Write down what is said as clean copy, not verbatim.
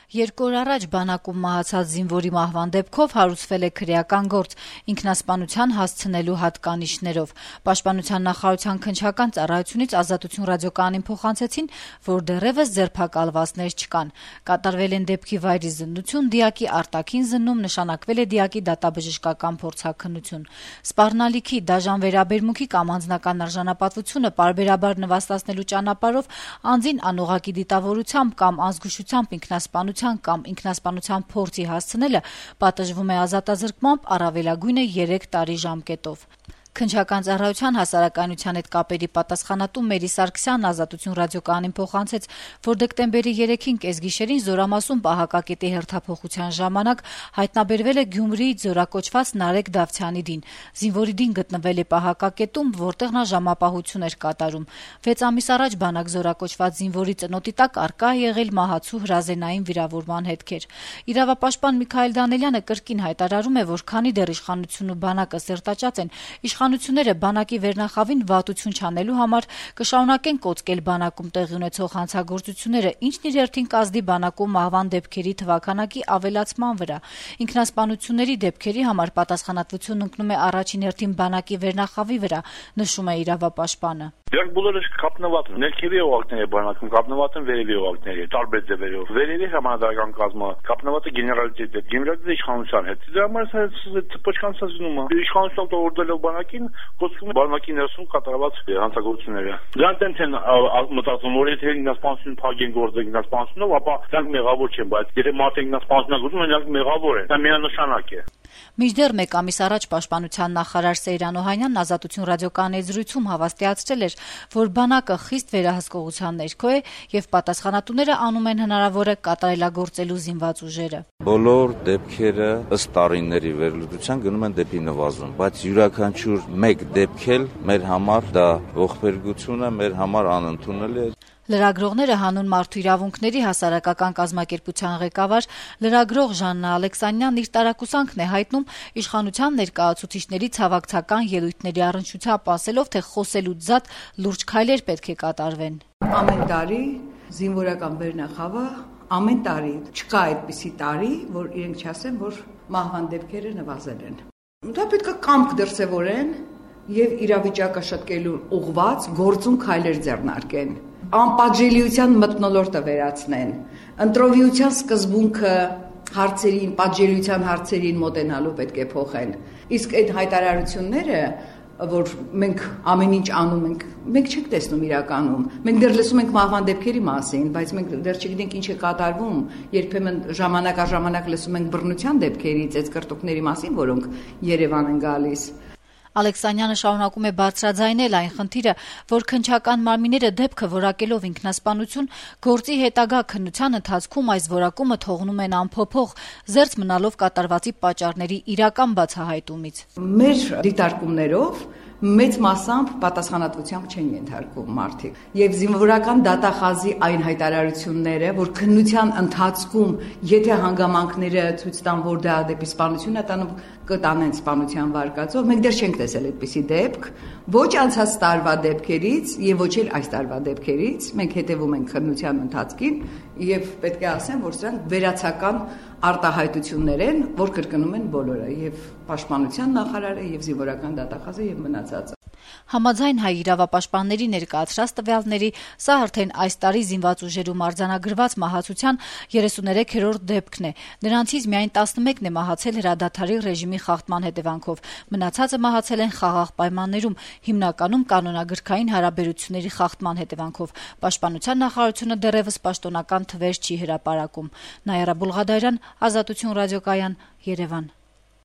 2 օր առաջ բանակում մահացած զինվորի մահվան դեպքով հարուցվել է քրեական գործ ինքնասպանության հասցնելու հատկանիշներով։ Պաշտպանության նախարարության քննչական ծառայությունից Ազատություն ռադիոկայանին փոխանցեցին, որ դեռևս ձերբակալվածներ չկան։ Կատարվել են դեպքի վայրի զննություն, դիակի արտաքին զննում, նշանակվել է դիակի դատաբժշկական փորձաքննություն։ Սպառնալիքի, դաժան վերաբերմունքի կամ անձնական արժանապատվությունը պարբերաբար նվաստացնելու ճանապարհով անձին անուղղակի դիտավորությամբ կամ ազգուշությամբ ինքնասպանության կամ ինքնասպանության փորձի հասցնելը պատժվում է ազատազրկմամբ առավելագույնը 3 տարի ժամկետով։ Քննչական ծառայության հասարակայնության հետ կապերի պատասխանատու Մերի Սարգսյանն Ազատություն ռադիոկայանին փոխանցեց, որ դեկտեմբերի 3-ին կեսգիշերին Զորամասում պահակակետի հերթափոխության ժամանակ հայտնաբերվել է Գյումրիից զորակոչված Նարեկ Դավթյանի դին։ Զինվորի դին գտնվել է պահակակետում, որտեղ նա ժամապահություն էր կատարում։ 6 ամիս առաջ բանակ զորակոչված զինվորի ծնոտի տակ առկա է եղել մահացու հրազենային վիրավորման հետքեր։ Իրավապաշտպան Միքայել Դանելյանը կրկին հայտարարում է, որ քանի դեռ իշխանությունն ու բանակը սերտաճած են, իշխանությունները բանակի վերնախավին վատություն չանելու համար կշարունակեն կոծկել բանակում տեղի ունեցող հանցագործությունները, ինչն իր հերթին կազդի բանակում մահվան դեպքերի թվաքանակի ավելացման վրա։ Ինքնասպանությունների դեպքերի համար պատասխանատվությունն ընկնում է առաջին հերթին բանակի վերնախավի վրա, նշում է իրավապաշտպանը։ Դրանք բոլորը կապնված են, ներքևի օղակների բանակում կապնված են վերևի օղակների, տարբեր ձևերով։ Վերևի համանդրական կազմը կապնված է գեներալիտետի հետ, գեներալիտետի իշխանության հետ։ Դրա համար պոչկանցածնում է։ Իշխանությունը տողորդելով բանակին, կոչվում է բանակի ներսում կատարված հանցագործությունները։ Դրանք տենց են մտածում, որ եթե ինքնասպանություն փակեն գործը ինքնասպանությունով, ապա դրանք մեղավոր չեն, բայց եթե մարդը ինքնասպանություն գործում, նրանք մեղավոր են։ Դա միանշանակ է։ Մինչդեռ 1 ամիս առաջ Պաշտպանության նախարար Սեյրան Օհանյանն Ազատություն ռադիոկայանի զրույցում հավաստիացրել էր, որ բանակը խիստ վերահսկողության ներքո է եւ պատասխանատուները անում են հնարավորը կատարելագործելու զինված ուժերը։ Բոլոր դեպքերը ըստ տարիների վերլուծության գնում են դեպի նվազում, բայց յուրաքանչյուր մեկ դեպք էլ մեր համար դա ողբերգություն է, մեր համար անընդունելի է։ Լրագրողները հանուն մարդու իրավունքների հասարակական կազմակերպության ղեկավար լրագրող Ժաննա Ալեքսանյանն իր տարակուսանքն է հայտնում իշխանության ներկայացուցիչների ցավակցական ելույթների առնչությամբ, ասելով, թե խոսելուց զատ լուրջ քայլեր պետք է կատարվեն։ Ամեն տարի զինվորական վերնախավը, ամեն տարի չկա այդպիսի տարի, որ իրենք չասեն, որ մահվան դեպքերը նվազել են։ Դա պետք է կամք դրսևորեն եւ իրավիճակը շտկելու ուղղված գործուն քայլեր ձեռնարկեն։ Անպատժելիության մթնոլորտը վերացնեն, ընտրովիության սկզբունքը հարցերին, պատժելիության հարցերին մոտենալու պետք է փոխեն։ Իսկ այդ հայտարարությունները, որ մենք ամեն ինչ անում ենք, մենք չենք տեսնում իրականում։ Մենք դեռ լսում ենք մահվան դեպքերի մասին, բայց մենք դեռ չգիտենք ինչ է կատարվում։ Երբեմն ժամանակ առ ժամանակ լսում ենք բռնության դեպքերի, ծեծկռտուքների մասին, որոնք Երևան են գալիս։ Ալեքսանյանը շարունակում է բարձրաձայնել այն խնդիրը, որ քննչական մարմինները դեպքը որակելով ինքնասպանություն, գործի հետագա քննության ընթացքում այս որակումը թողնում են անփոփոխ, զերծ մնալով կատարվածի պատճառների իրական բացահայտումից։ Մեր դիտարկումներով մեծ մասամբ պատասխանատվությամբ չեն ենթարկվում մարդիկ։ Եվ զինվորական դատախազի այն հայտարարությունները, որ քննության ընթացքում, եթե հանգամանքները ցույց տան, որ դա դեպի սպանություն է տանում, կտանեն սպանության վարկածով, մենք դեռ չենք տեսել այդպիսի դեպք, ոչ անցած տարվա դեպքերից եւ ոչ էլ այս տարվա դեպքերից։ Մենք հետեւում ենք քննության ընթացքին եւ պետք է ասեմ, որ սրանք վերացական արտահայտություններ են, որ կրկնում են բոլորը, եւ Պաշտպանության նախարարը, եւ զինվորական դատախազը եւ մնացածը։ Համաձայն հայ իրավապաշտպանների ներկայացրած տվյալների, սա արդեն այս տարի զինված ուժերում արձանագրված մահացության 33-րդ դեպքն է։ Նրանցից միայն 11-ն է մահացել հրադադարի ռեժիմի խախտման հետևանքով։ Մնացածը մահացել են խաղաղ պայմաններում, հիմնականում կանոնագրքային հարաբերությունների խախտման հետևանքով։ Պաշտպանության նախարարությունը դեռևս պաշտոնական թվեր չի հրապարակում։ Նայարա Բուլղադարյան, Ազատություն ռադիոկայան, Երևան։